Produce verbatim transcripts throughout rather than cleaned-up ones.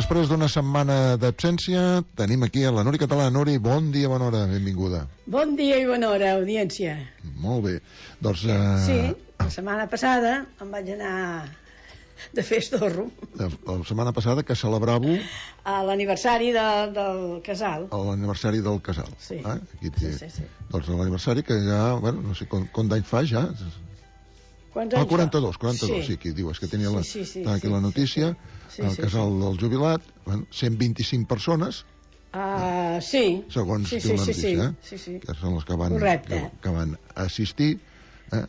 després d'una setmana d'absència, tenim aquí a la Nuri Català. Nuri, bon dia, bona hora, benvinguda. Bon dia i bona hora, audiència. Molt bé. Doncs... Eh... Sí, la setmana passada em vaig anar de festorro. La, la setmana passada que celebràveu... A l'aniversari de, del casal. A l'aniversari del casal. Sí. Eh? Aquí, sí, sí, sí. Doncs l'aniversari que ja, bueno, no sé com, com d'any fa ja... Quants anys ah, quaranta-dos, quaranta-dos, sí, sí, aquí diu, és que tenia la, sí, sí, sí, aquí sí, la notícia, sí, sí, el casal sí, sí. del jubilat, bueno, cent vint-i-cinc persones, uh, sí, segons sí, diu sí, la notícia, sí, eh? sí, sí. que són les que van, Correcte. que, que van assistir. Eh?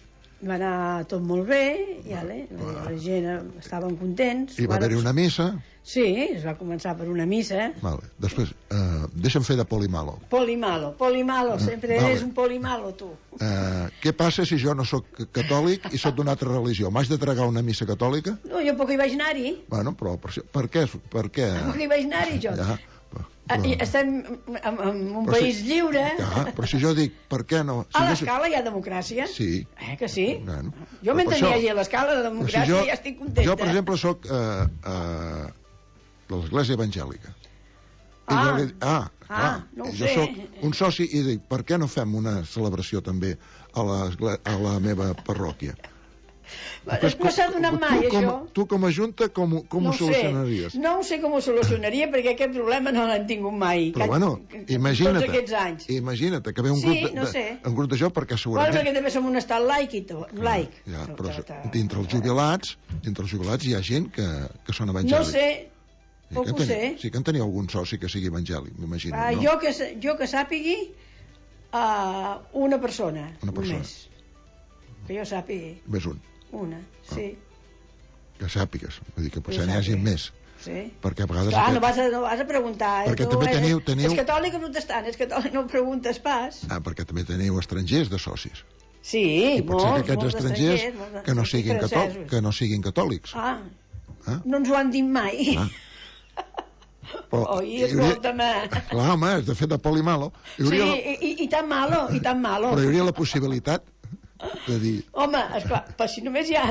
Va anar tot molt bé, i ale, la, la gent estaven contents. I va haver-hi una missa. Sí, es va començar per una missa. Vale. Després, eh, deixa'm fer de polimalo. Polimalo, polimalo, sempre vale. eres un polimalo, tu. Eh, què passa si jo no sóc catòlic i sóc d'una altra religió? M'haig de tragar una missa catòlica? No, jo poc hi vaig anar-hi. Bueno, però per, per què? Per què? Poc hi vaig anar-hi, jo. Ja. Però... Estem en, en un però país si, lliure. Ja, però si jo dic, per què no? Si a l'escala hi ha democràcia. Sí. Eh, que sí? Bueno, jo mentre hi hagi a l'escala de democràcia si jo, ja estic contenta. Jo, per exemple, soc eh, eh, de l'església evangèlica. Ah, I jo li, ah, ah, ah no ho jo sé. soc un soci i dic, per què no fem una celebració també a la, a la meva parròquia? Després, no s'ha donat mai, tu, com, això. Tu com a Junta, com, com no ho solucionaries? Sé. No ho sé com ho solucionaria, perquè aquest problema no l'hem tingut mai. Però bueno, imagina't, tots aquests anys. Imagina't que ve un, sí, grup de, no sé. de, un grup de jo, perquè segurament... Bueno, perquè també som un estat laic i tot, laic. Ja, però dintre els jubilats, dintre els jubilats hi ha gent que, que són evangèlics. No sé, poc ho sé. Sí que en teniu algun soci que sigui evangèlic, m'imagino, ah, no? Jo que, jo que sàpigui, uh, una persona, una persona. Només. Que jo sàpigui. Més un. Una, sí. Ah. Que sàpigues, vull dir que potser n'hi hagi més. Sí. Perquè a vegades... Clar, aquest... no, vas a, no vas a preguntar. Eh? Perquè tu també teniu, teniu... És catòlic o protestant? És catòlic, no preguntes pas. Ah, perquè també teniu estrangers de socis. Sí, I pot molts, ser que aquests estrangers, estrangers que, no siguin catòlics, que no siguin catòlics. Ah, ah? no ens ho han dit mai. Ah. Però, Oi, escolta'm. Clar, home, és de fet de polimalo. Sí, la... i, i, i tan malo, i tan malo. Però hi hauria la possibilitat de dir... Home, esclar, però si només hi ha...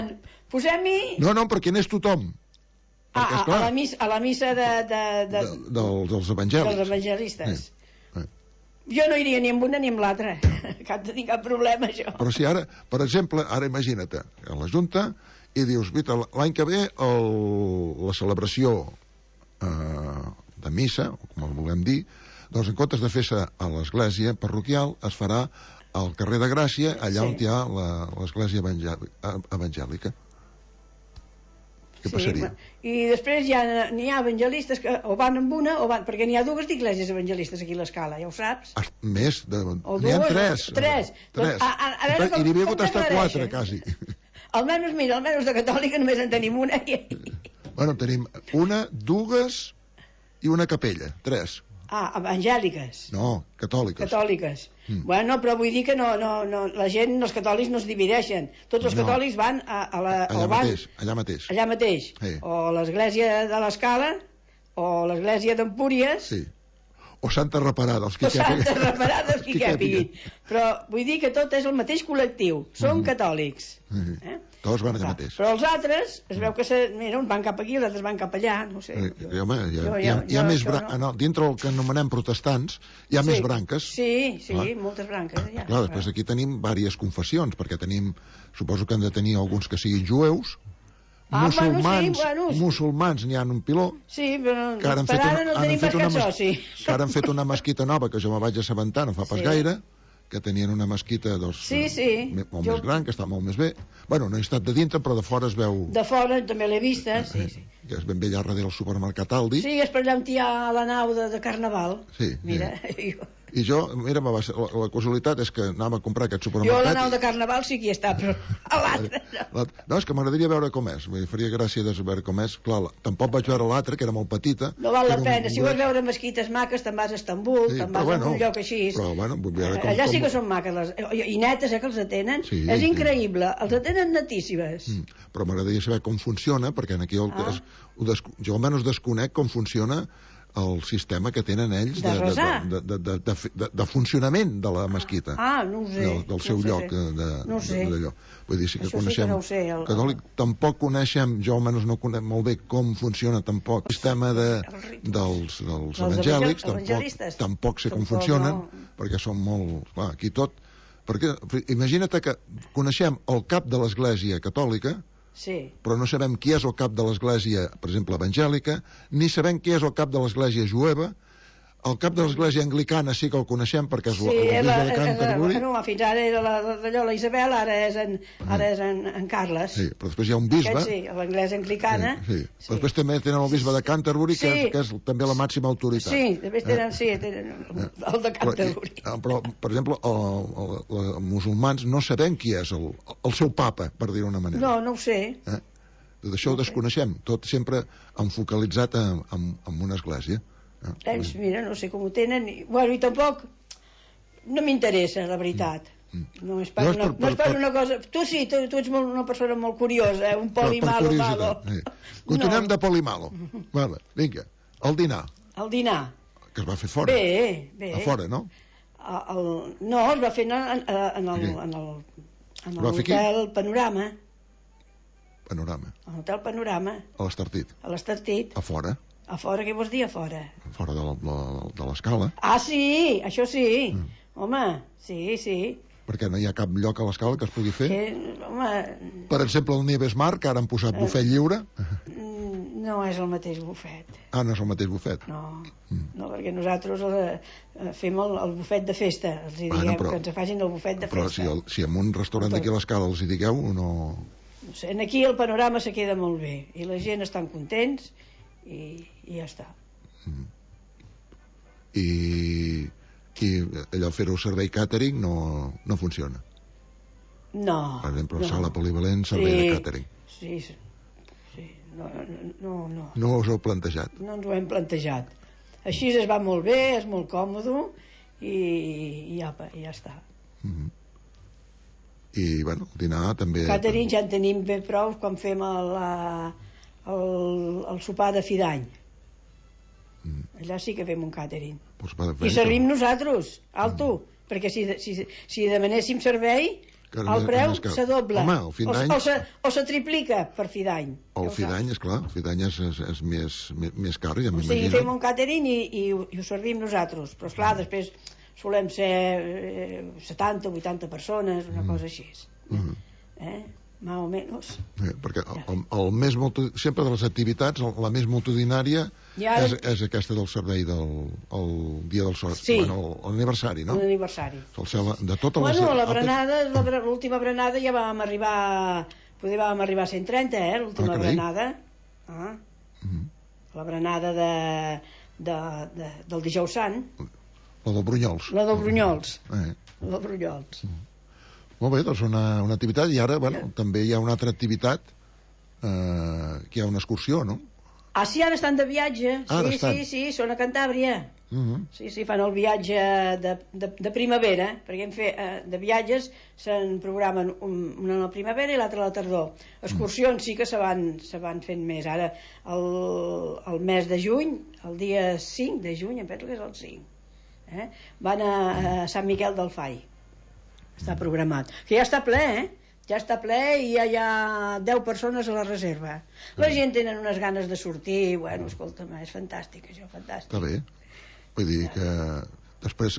Posem-hi... No, no, perquè n'és tothom. Ah, perquè, esclar, a, la missa, a la missa de... de, de... de, de dels evangèlics. Dels evangelistes. Eh, eh. Jo no iria ni amb una ni amb l'altra. Cap de tenir cap problema, això. Però si ara, per exemple, ara imagina't, a la Junta, i dius, vita, l'any que ve el, la celebració eh, de missa, o com el volem dir, doncs en comptes de fer-se a l'església parroquial, es farà al carrer de Gràcia, allà sí. on hi ha l'església evangèlica. Què sí, passaria? I després ja n'hi ha evangelistes que o van amb una o van... Perquè n'hi ha dues d'esglésies evangelistes aquí a l'escala, ja ho saps? Més? N'hi ha tres. Tres. tres. Doncs, a, a, a veure, I n'hi havia hagut estar quatre, quasi. Almenys, mira, almenys de catòlica només en tenim una. I... Bueno, tenim una, dues i una capella. Tres. Ah, evangèliques. No, catòliques. Catòliques. Mm. Bueno, però vull dir que no, no, no, la gent, els catòlics no es divideixen. Tots els no. catòlics van a, a la... Allà van, mateix, allà mateix. Allà mateix. Sí. O l'església de l'Escala, o l'església d'Empúries. Sí. O Santa Reparada, els que o Santa Reparada, els que capiguin. Però vull dir que tot és el mateix col·lectiu. Són mm. catòlics. Mm. Eh? Tots van allà mateix. Però els altres, es veu que se, mira, uns van cap aquí, els altres van cap allà, no sé. Eh, jo, home, hi ha, jo, hi ha, hi ha jo, més jo, branques, no. no, dintre el que anomenem protestants, hi ha sí. més branques. Sí, sí, clar. moltes branques. Ja, clar, després aquí tenim diverses confessions, perquè tenim, suposo que han de tenir alguns que siguin jueus, ah, musulmans, bueno, sí, bueno, musulmans n'hi ha un piló, sí, però que ara han per fet ara una, no tenim pas cap soci. Que ara han fet una mesquita nova, que jo me vaig assabentar no fa pas sí. gaire, que tenien una mesquita doncs, sí, sí. molt jo... més gran, que està molt més bé. Bueno, no he estat de dintre, però de fora es veu... De fora també l'he vista, eh, sí, sí. Que és ben bé allà darrere del supermercat Aldi. Sí, és per allà on hi ha la nau de, de Carnaval. Sí. Mira, sí. Jo... I jo, mira, va ser, la, la casualitat és que anàvem a comprar aquest supermercat... Jo a la nau de Carnaval sí que hi està, però a l'altre no. No, és que m'agradaria veure com és. M'hi faria gràcia de veure com és. Clar, tampoc vaig veure l'altre, que era molt petita. No val la pena. Un... Si vols veure mesquites maques, te'n vas a Estambul, sí, te'n vas bueno, a un lloc així. Però, bueno, vull veure com... Allà sí que són maques. Les... I netes, eh, que els atenen. Sí, és increïble. Sí. Els atenen netíssimes. Mm. Però m'agradaria saber com funciona, perquè aquí el... ah. es... des... jo almenys desconec com funciona el sistema que tenen ells de, de, de, de, de, de, de, de funcionament de la mesquita. Ah, no ho sé. Del, del seu no lloc sé. de, no sé. de, d'allò. Vull dir, sí que Això coneixem... sí que no ho sé. El, catòlic, tampoc coneixem, jo almenys no conec molt bé com funciona tampoc el sistema de, dels, dels evangèlics, tampoc, tampoc sé com funcionen, no. Perquè són molt... Clar, aquí tot... Perquè imagina't que coneixem el cap de l'Església catòlica, sí. Però no sabem qui és el cap de l'Església, per exemple, evangèlica, ni sabem qui és el cap de l'Església jueva. El cap de l'Església anglicana sí que el coneixem perquè és sí, el bisbe de Canterbury. No, fins ara era d'allò la Isabel, ara és en, ara és en, en Carles. Sí, però després hi ha un bisbe. Aquest sí, l'anglès anglicana. Sí, sí. sí. Després també tenen el bisbe de Canterbury, sí. que, és, que és també la màxima autoritat. Sí, després tenen, eh? sí, tenen el de Canterbury. Però, però per exemple, els musulmans no sabem qui és el, el seu papa, per dir-ho d'una manera. No, no ho sé. Eh? Tot això no ho desconeixem, tot sempre enfocalitzat en, en, en una església. Eh, mira, no sé com ho tenen. Bueno, i tampoc no m'interessa, la veritat. No és per, una, no és per una cosa... Tu sí, tu, tu ets molt, una persona molt curiosa, eh? Un poli malo, malo. Sí. Continuem no. de poli malo. Vale, vinga, el dinar. El dinar. Que es va fer fora. Bé, bé. A fora, no? El, no, es va fer en, en, en el, en el, en l'hotel Panorama. Panorama. A l'hotel Panorama. A l'Estartit. A l'Estartit. A fora. A fora, què vols dir a fora? A fora de, la, de l'escala. Ah, sí, això sí. Mm. Home, sí, sí. Perquè no hi ha cap lloc a l'escala que es pugui fer? Que, home... Per exemple, el Nieves Mar, que ara han posat bufet lliure. No és el mateix bufet. Ah, no és el mateix bufet? No, mm. no perquè nosaltres el, fem el, el bufet de festa. Els hi diguem ah, no, però, que ens facin el bufet de però festa. Però si, si en un restaurant d'aquí a l'escala els hi digueu, no... No sé, aquí el panorama se queda molt bé i la gent estan contents i, i ja està. Mm. I, i allò fer-ho servei catering no, no funciona? No. Per exemple, no. sala polivalent, servei sí, de catering. Sí, sí. No, no, no. No us ho heu plantejat? No ens ho hem plantejat. Així es va molt bé, és molt còmode i, i ja, ja està. Mm-hmm. I, bueno, el dinar també... El catering ja en tenim ben prou quan fem el, el, el sopar de fi d'any. Mm. Allà sí que fem un catering. Pues I servim però... nosaltres, alto, mm. perquè si, si, si demanéssim servei, Caram, el preu que... se dobla. Home, el fi d'any... O, o, se, o se triplica per fi d'any. El fi d'any, esclar, el fi d'any és, és, és més, més, més car, ja m'imagino. O sigui, fem un catering i, i, i ho servim nosaltres, però esclar, mm. després solem ser eh, setanta o vuitanta persones, una mm. cosa així. Mm. Eh? Más o menys. Eh, perquè el, el més multi... sempre de les activitats, la més multitudinària ja, és, és aquesta del servei del el dia del sol, sí. bueno, l'aniversari, no? L'aniversari. De totes bueno, les... la berenada, l'última berenada ja vam arribar, poder vam arribar a cent trenta, eh, l'última ah, berenada. Ah. Mm-hmm. La berenada de, de, de, del dijous sant. La del Brunyols. La del Brunyols. Eh. La del Brunyols. Mm. Molt bé, doncs una, una activitat i ara, bueno, també hi ha una altra activitat eh, que hi ha una excursió, no? Ah, sí, ara estan de viatge. Ara sí, estan. sí, sí, són a Cantàbria. Uh -huh. Sí, sí, fan el viatge de, de, de primavera, perquè hem fet, eh, de viatges se'n programen un, una a la primavera i l'altra a la tardor. Excursions sí que se van, se van fent més. Ara, el, el mes de juny, el dia cinc de juny, em penso que és el cinc, eh? Van a, a Sant Miquel del Fai. Està programat. Que ja està ple, eh? Ja està ple i ja hi ha deu persones a la reserva. La gent tenen unes ganes de sortir. Bueno, escolta'm, és fantàstic, això, fantàstic. Està bé. Vull dir que després,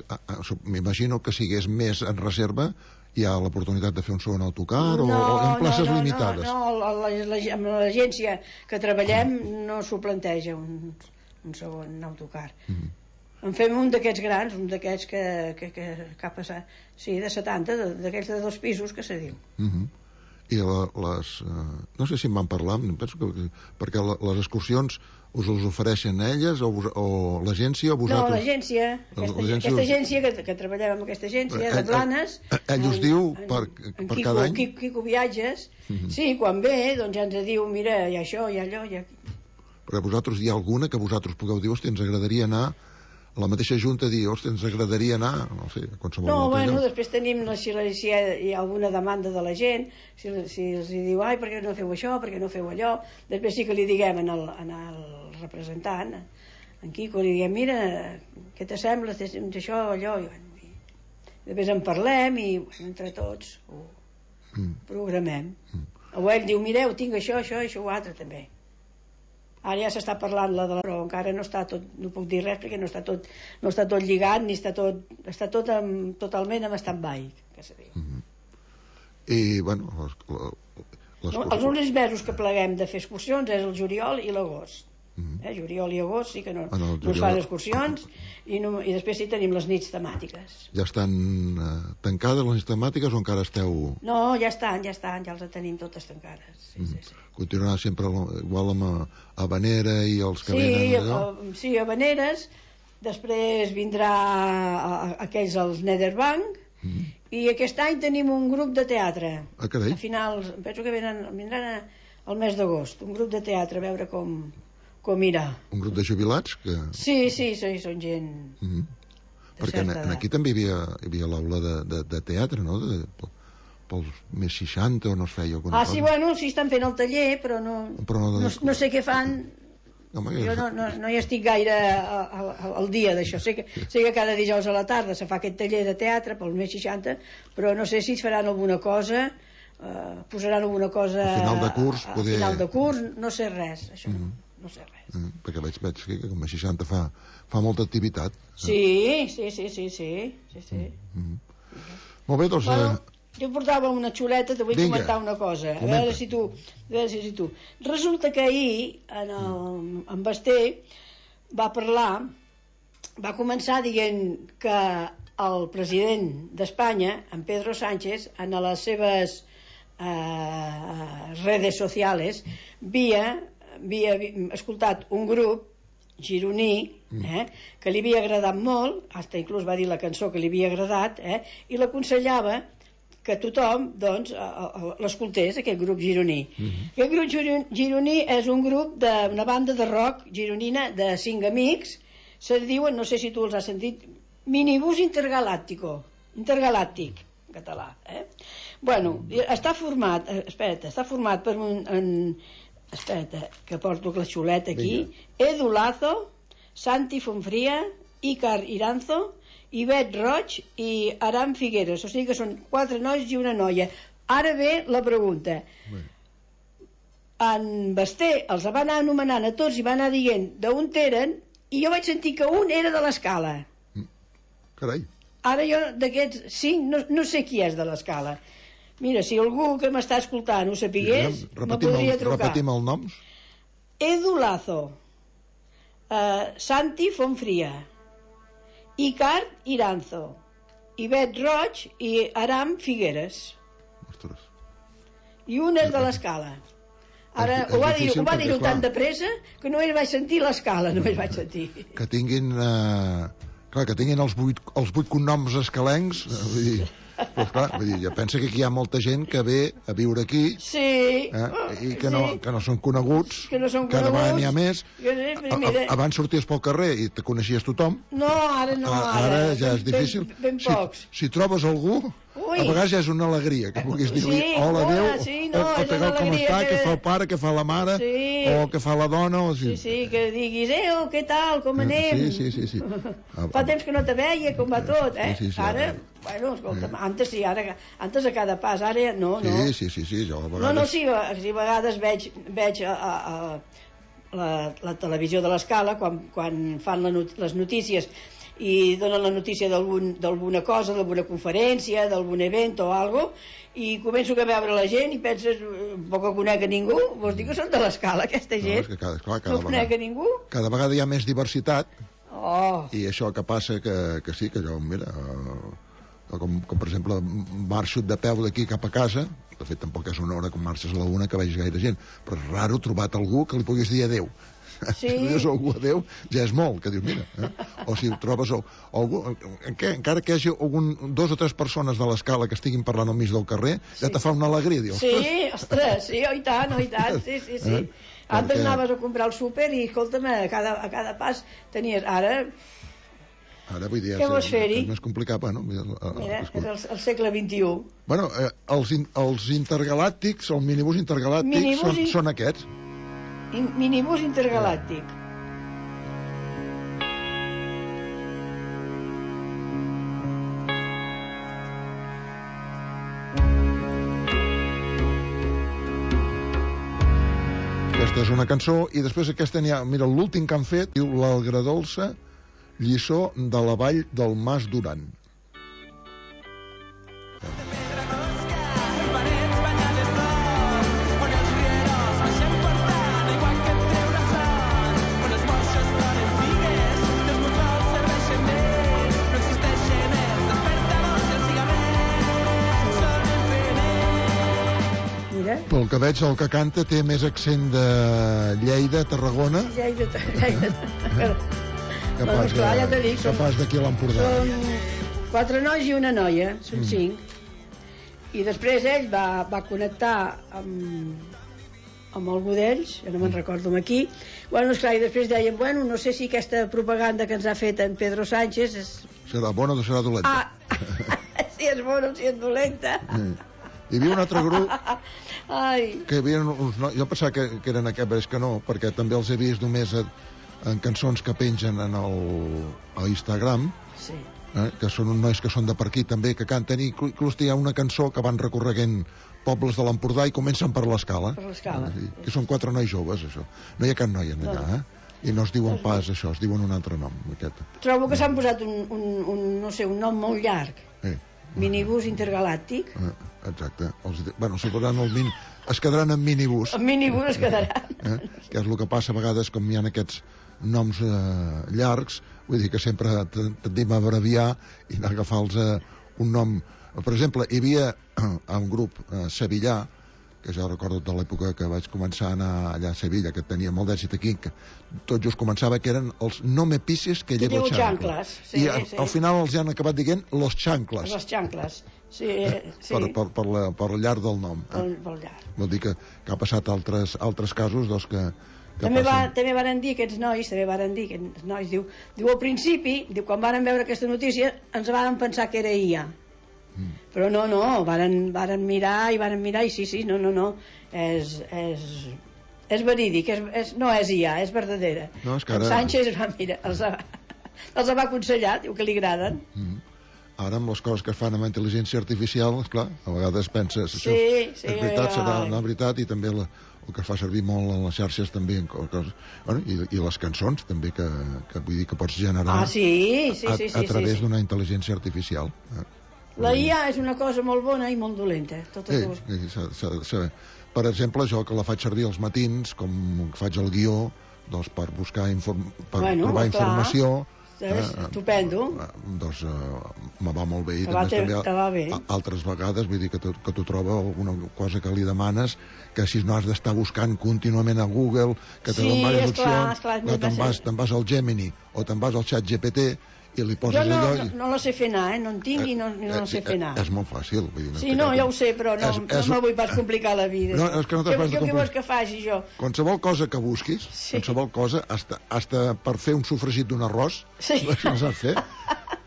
m'imagino que si hagués més en reserva, hi ha l'oportunitat de fer un segon autocar no, o, o en places no, no, limitades. No, no, amb l'agència que treballem no s'ho planteja un, un segon autocar. Mm-hmm. En fem un d'aquests grans, un d'aquests que, que, que cap a, sí, de setanta, d'aquells de dos pisos que se diu. Uh-huh. I la, les... Uh, no sé si en van parlar, penso que... Perquè la, les excursions us els ofereixen elles o, vos, o l'agència o vosaltres? No, l'agència. Aquesta, aquesta agència, que, que treballem amb aquesta agència, de Blanes... Ell us diu per, per Quico, cada any? Quico, Quico Viatges. Uh-huh. Sí, quan ve, doncs ja ens diu, mira, hi ha això, hi ha allò, hi ha... Perquè vosaltres hi ha alguna que vosaltres pugueu dir, hosti, ens agradaria anar... la mateixa junta dir, ostres, ens agradaria anar, no sé, a qualsevol no, bueno, lloc. Després tenim, si, si hi ha alguna demanda de la gent, si, si els diu, ai, per què no feu això, per què no feu allò, després sí que li diguem en el, en el representant, en Quico li diem, mira, què t'assembla d'això, allò, i, bueno, i després en parlem i bueno, entre tots ho mm. programem. Mm. O ell diu, mireu, tinc això, això, això, o altre també. Ara ja s'està parlant la de la... però encara no està tot, no puc dir res perquè no està tot, no està tot lligat ni està tot, està tot amb, totalment amb stand-by, que se diu. Mm-hmm. I, bueno, les, les no, els únics mesos que pleguem de fer excursions és el juliol i l'agost. Mm-hmm. eh, juliol i agost sí que no, no es fan excursions i, no, i després sí tenim les nits temàtiques. Ja estan eh, tancades les nits temàtiques o encara esteu... No, ja estan, ja estan, ja les tenim totes tancades. Sí, mm-hmm. sí, sí. Continuarà sempre igual amb Habanera i els que sí, venen allò? A, sí, Habaneres, després vindrà a, a, aquells als Netherbank. Mm-hmm. I aquest any tenim un grup de teatre. Ah, carai. A finals, penso que venen, vindran a, al mes d'agost, un grup de teatre, a veure com... com irà. Un grup de jubilats? Que... Sí, sí, sí, són gent... Mm-hmm. Perquè en, en aquí també hi havia, hi havia l'aula de, de, de teatre, no? De, de, pels més seixanta o no es feia alguna ah, cosa? Ah, sí, bueno, sí estan fent el taller, però no, però no, no, no sé què fan. Home, jo no, no, no hi estic gaire al, al dia d'això. Sé que, sé que cada dijous a la tarda se fa aquest taller de teatre pels més seixanta, però no sé si es faran alguna cosa, eh, posaran alguna cosa... Al final de curs, a, poder... a final de curs, no sé res, això. Mm-hmm. No sé res. Mm, perquè veig, veig que com a seixanta fa, fa molta activitat. Sí, sí, sí, sí, sí, sí, sí. Mm-hmm. Mm-hmm. Molt bé, doncs... Bueno, eh... jo portava una xuleta, te vull Vinga, comentar una cosa. A veure si tu, a veure si tu. Resulta que ahir, en, el, en Basté, va parlar, va començar dient que el president d'Espanya, en Pedro Sánchez, en les seves eh, redes sociales, via... havia escoltat un grup gironí eh, que li havia agradat molt, fins inclús va dir la cançó que li havia agradat, eh, i l'aconsellava que tothom doncs, l'escoltés, aquest grup gironí. Mm-hmm. Aquest grup gironí és un grup d'una banda de rock gironina de cinc amics, se diuen, no sé si tu els has sentit, Minibús Intergalàctico, intergalàctic, en català. Eh? Bueno, està format, espera't, està format per un... En, espera't, que porto la xuleta aquí. Vinga. Edu Lazo, Santi Fonfria, Ícar Iranzo, Ivet Roig i Aram Figueres. O sigui que són quatre nois i una noia. Ara ve la pregunta. Bé. En Basté els va anar anomenant a tots i va anar dient d'on eren, i jo vaig sentir que un era de l'Escala. Carai. Ara jo d'aquests cinc no, no sé qui és de l'Escala. Mira, si algú que m'està escoltant ho sapigués, me podria el, trucar. Repetim els noms. Edu Lazo, uh, Santi Fonfria, Ícar Iranzo, Ivet Roig i Aram Figueres. Ostres. I un és de l'Escala. Ara, és, és ho va dir, ho va dir tan de pressa que només vaig sentir l'Escala, només vaig sentir. Que tinguin... Uh, clar, que tinguin els vuit, els vuit cognoms escalencs, vull dir... Pues clar, vull dir, jo penso que aquí hi ha molta gent que ve a viure aquí, sí, eh, i que no, sí. que no són coneguts, que no són cada coneguts, vegada n'hi ha més. Que, mira, abans sorties pel carrer i te coneixies tothom. No, ara no, ara, ara ja és difícil. Ben, ben pocs. Si, si trobes algú, Ui. a vegades ja és una alegria, que vulguis dir, sí, hola, Déu, sí, no, o, o tal com està, que... que fa el pare, que fa la mare, sí. o que fa la dona. O sí. sí, sí, que diguis, eh, oh, què tal, com anem? Sí, sí, sí. sí. Fa temps que no te veia, com va tot, eh? Sí, sí, sí, ara... Bueno, escolta, sí. antes sí, ara, antes a cada pas, ara no, no. Sí, sí, sí, sí, jo a vegades... No, no, sí, sí, a vegades veig, veig a, a, a la, la televisió de l'Escala, quan, quan fan la not les notícies i donen la notícia d'alguna cosa, d'alguna conferència, d'algun event o algo, i començo a veure la gent i penses, poc conec a ningú, vols dir que són de l'Escala, aquesta gent? No, és que cada, clar, cada no vegada, conec a ningú? Cada vegada hi ha més diversitat, oh. i això que passa que, que sí, que jo, mira... Uh, Com, com per exemple marxo de peu d'aquí cap a casa, de fet tampoc és una hora com marxes a la una que veig gaire gent, però és raro trobar algú que li puguis dir adeu. Sí. Si dius algú adeu ja és molt, que dius mira, eh? O si trobes algú, què? Encara que hi hagi algun, dos o tres persones de l'Escala que estiguin parlant al mig del carrer, sí. ja te fa una alegria, dius, sí, ostres, sí, oh, i tant, oh, i tant, sí, sí, sí. Eh? Antes Perquè... anaves a comprar el súper i escolta'm, a cada, a cada pas tenies, ara... Ara, vull dir, què vols fer-hi? És més complicat, bueno... Mira, és el, el segle vint-i-u. Bueno, eh, els, in, els intergalàctics, el minibús intergalàctic, minibús són, in... són aquests. In, minibús intergalàctic. Aquesta és una cançó, i després aquesta n'hi ha... Mira, l'últim que han fet, diu l'Algradolça, lliçó de la vall del Mas Duran. Pel que veig, el que canta té més accent de Lleida, Tarragona... Lleida, Lleida... Que pas, clar, ja t'ho dic, que pas d'aquí a l'Empordà. Són quatre nois i una noia, són mm. cinc. I després ell va, va connectar amb, amb algú d'ells, jo no me'n recordo amb qui. Bueno, esclar, i després deien, bueno, no sé si aquesta propaganda que ens ha fet en Pedro Sánchez és... Serà bona o serà dolenta? Ah, si és bona o si és dolenta. Mm. Hi havia un altre grup Ai. que hi havia uns nois, jo pensava que, que eren aquests, però és que no, perquè també els he vist només a, en cançons que pengen en el, a Instagram, sí. eh, que són uns nois que són de per aquí també, que canten, i inclús hi ha una cançó que van recorreguent pobles de l'Empordà i comencen per l'Escala. Per l'Escala. Eh, que són quatre nois joves, això. No hi ha cap noia en allà, no. eh? I no es diuen pas això, es diuen un altre nom. Aquest. Trobo que s'han posat un, un, un, no sé, un nom molt llarg. Eh. Minibús intergalàctic. Eh, exacte. Els, bueno, si posaran el min, es quedaran en minibús. En minibús es quedaran. Eh? Que és el que passa a vegades, com hi ha aquests noms eh, llargs, vull dir que sempre tendim a abreviar i agafar-los eh, un nom. Per exemple, hi havia eh, un grup eh, sevillà, que ja recordo de l'època que vaig començar a anar allà a Sevilla, que tenia molt d'èxit aquí, que tot just començava, que eren els no me pises que llevo chanclas. Sí, I a, sí. al final els han acabat dient los chanclas. Los chanclas, sí. sí. Per, per, per, la, per el llarg del nom. Per, per llarg. Vol dir que, que ha passat altres, altres casos doncs, que, que també, va, passen. també varen dir aquests nois, també varen dir aquests nois, diu, diu al principi, diu, quan varen veure aquesta notícia, ens varen pensar que era I A. Mm. Però no, no, varen, varen mirar i varen mirar i sí, sí, no, no, no, és, és, és verídic, és, és, no és I A, és verdadera. No, és que ara... Sánchez va mirar, els, ha, els va aconsellar, diu que li agraden. Mm. Ara amb les coses que es fan amb intel·ligència artificial, esclar, a vegades penses, sí, això sí, és veritat, ai. serà una veritat, i també la, el que fa servir molt a les xarxes també, en coses, bueno, i, i les cançons també, que, que vull dir que pots generar ah, sí, sí, a, sí, sí, a través sí, sí. d'una intel·ligència artificial. Eh? La I A és una cosa molt bona i molt dolenta. Totes sí, dues. sí, s'ha de saber. Per exemple, jo que la faig servir als matins, com faig el guió, doncs per buscar inform per bueno, trobar clar. informació. És eh, estupendo. Eh, doncs eh, me va molt bé. I va també, te, te va bé. A, altres vegades, vull dir que tu, que tu troba alguna cosa que li demanes, que si no has d'estar buscant contínuament a Google, que te sí, donen diverses esclar, opcions, esclar, no, te'n vas, te vas al Gemini o te'n vas al xat G P T i li poses jo no, allò... I... no, no la sé fer anar, eh? No en tinc i no, no la sé fer anar. És molt fàcil. Vull dir, no sí, no, ja ho sé, però no, és, és... no me vull pas complicar la vida. No, és que no t'has pas de complicar. Què vols complicar. que faci, jo? Qualsevol cosa que busquis, sí. qualsevol cosa, hasta, hasta per fer un sofregit d'un arròs, sí. no saps fer.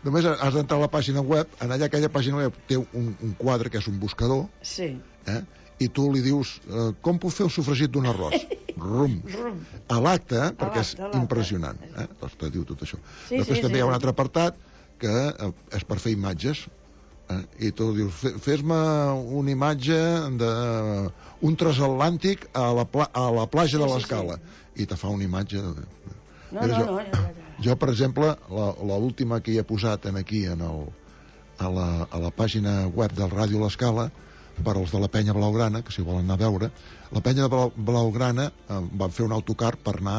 Només has d'entrar a la pàgina web, en allà aquella pàgina web té un, un quadre que és un buscador, sí. eh? I tu li dius, eh, com puc fer el sofregit d'un arròs? Rum. Rum. A l'acte, perquè és l'acte. impressionant. Eh? Doncs te diu tot això. Sí, Després sí, també sí. hi ha un altre apartat que eh, és per fer imatges. Eh? I tu dius, fes-me una imatge d'un transatlàntic a la, pla a la platja sí, de sí, l'Escala. Sí. I te fa una imatge. De... No, no, jo, no, ja, ja. jo, per exemple, l'última que hi he posat en aquí en el, a, la, a la pàgina web del Ràdio L'Escala, per als de la Penya Blaugrana, que si volen anar a veure, la Penya de Blaugrana eh, van fer un autocar per anar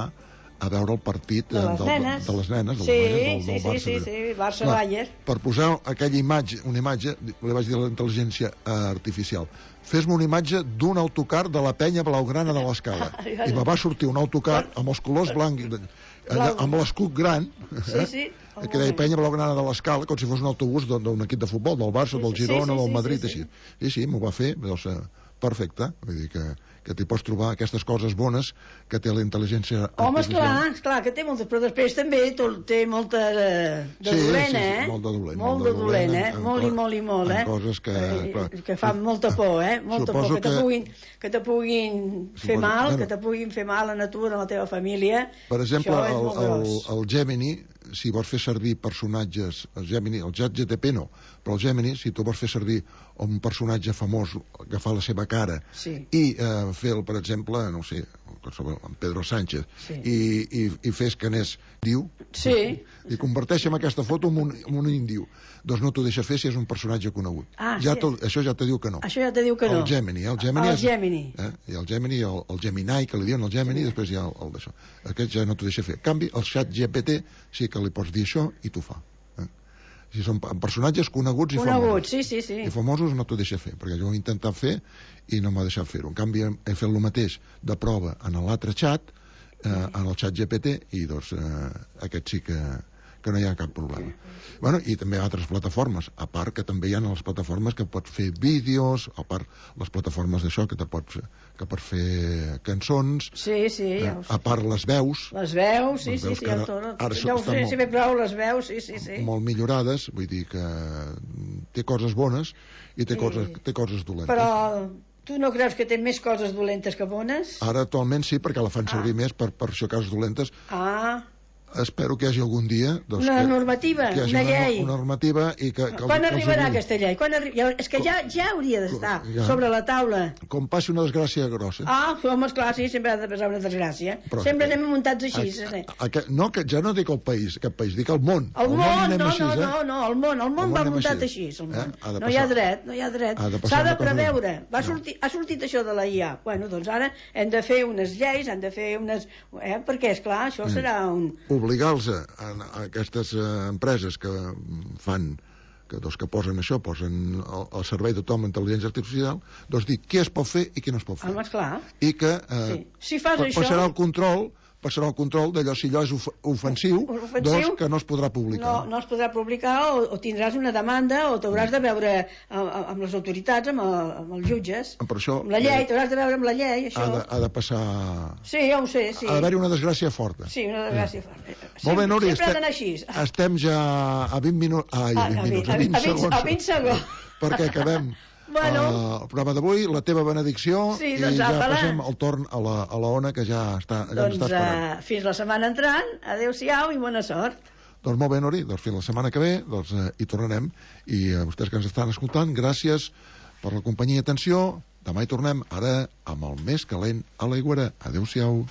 a veure el partit de les del, nenes, de les nenes del, sí, del, del sí, Barça. Sí, sí, sí, Barça-Bayer. Per posar aquella imatge, una imatge, li vaig dir a la intel·ligència artificial, fes-me una imatge d'un autocar de la Penya Blaugrana de l'Escala. I me va sortir un autocar amb els colors blancs, allà, amb l'escut gran, sí, sí, eh, que deia Penya Blaugrana de l'Escala, com si fos un autobús d'un equip de futbol, del Barça, del Girona, sí, sí, del Madrid, sí, sí, així. Sí, sí, m'ho va fer, doncs, perfecte. Vull dir que, que t'hi pots trobar aquestes coses bones que té la intel·ligència artificial. Home, esclar, esclar, que té moltes, però després també té molta de, de sí, dolent, sí, sí, eh? molt de dolent. Molt de dolent, eh? Molt i molt i molt, eh? Coses que... Eh, que fan molta por, eh? Molta por, que te puguin, que te puguin fer mal, que te puguin fer mal a tu, a la teva família. Per exemple, el, el, el el Gemini, si vols fer servir personatges, el Gemini, el Chat G T P no, però el Gemini, si tu vols fer servir un personatge famós, agafar la seva cara sí. i eh, fer, per exemple, no sé, en Pedro Sánchez, sí. i, i, i fes que anés diu, sí. i converteixen aquesta foto en un, en un indiu. Doncs no t'ho deixa fer si és un personatge conegut. Ah, ja sí. Això ja te diu que no. Això ja te diu que no. El Gemini. El Gemini, el és, Gemini. Eh? Hi ha el Gemini, el, el Gemini, que li diuen el Gemini, sí. I després hi ha el, el d'això. Aquest ja no t'ho deixa fer. En canvi, el xat G P T sí que li pots dir això i t'ho fa. Eh? Si són personatges coneguts i coneguts, famosos. sí, sí, sí. I famosos no t'ho deixa fer, perquè jo ho he intentat fer i no m'ha deixat fer-ho. En canvi, he fet el mateix de prova en l'altre xat, eh, en el xat G P T, i doncs eh, aquest sí que... que no hi ha cap problema. Bueno, i també altres plataformes, a part que també hi ha les plataformes que pots fer vídeos, a part les plataformes d'això que te pots, que pots fer cançons, sí, sí, ja eh, a part les veus, les veus, sí, les sí, veus sí, ara, ara, ara ja ho sé, molt, si bé prou les veus, sí, sí, sí. molt millorades, vull dir que té coses bones i té, sí. coses, té coses dolentes. Però tu no creus que té més coses dolentes que bones? Ara actualment sí, perquè la fan servir ah. més per, per això coses dolentes. Ah, espero que hi hagi algun dia doncs, una que, normativa, que una llei una normativa i que, que quan els, arribarà els aquesta llei? Quan arri... És que ja, ja hauria d'estar ja. sobre la taula. Com passi una desgràcia grossa. Ah, home, esclar, sí, sempre ha de passar una desgràcia. Però, sempre anem muntats així. A, a, a, a, no, que ja no dic el país, aquest país, dic el món. El, el món, món no, així, no, eh? no, no, el món, el món, el món va muntat així. així el món. Eh? No hi ha dret, no hi ha dret. S'ha de preveure. Va sortir, ha sortit això de la I A. Bueno, doncs ara hem de fer unes lleis, hem de fer unes... Eh? Perquè, esclar, això serà un... Obligar-los a, a aquestes uh, empreses que fan que, doncs, que posen això, posen al, al servei de tothom intel·ligència artificial, doncs dir què es pot fer i què no es pot fer. Home, esclar. I que eh, sí. si fas això... passarà el control passarà el control d'allò, si allò és of ofensiu, ofensiu, doncs que no es podrà publicar. No, no es podrà publicar o, o tindràs una demanda o t'hauràs de veure amb, amb les autoritats, amb, el, amb els jutges, per això, amb la llei, t'hauràs de veure amb la llei, això. Ha de, ha de passar... Sí, ja ho sé, sí. Ha d'haver-hi una desgràcia forta. Sí, una desgràcia forta. Sempre, Molt bé, Núria, sempre ha d'anar així. Estem ja a vint minuts... Ai, a vint minuts, a vint segons. A vint segons. Perquè acabem... Bueno. Uh, el programa d'avui, la teva benedicció, sí, doncs, i ja apala. Passem el torn a la, a la Ona, que ja està, ja doncs, està esperant. Uh, fins la setmana entrant, adeu-siau i bona sort. Doncs molt bé, Nori, doncs fins la setmana que ve doncs, uh, hi tornarem, i a uh, vostès que ens estan escoltant, gràcies per la companyia i atenció. Demà hi tornem, ara amb el més calent a l'Aiguera. Adeu-siau.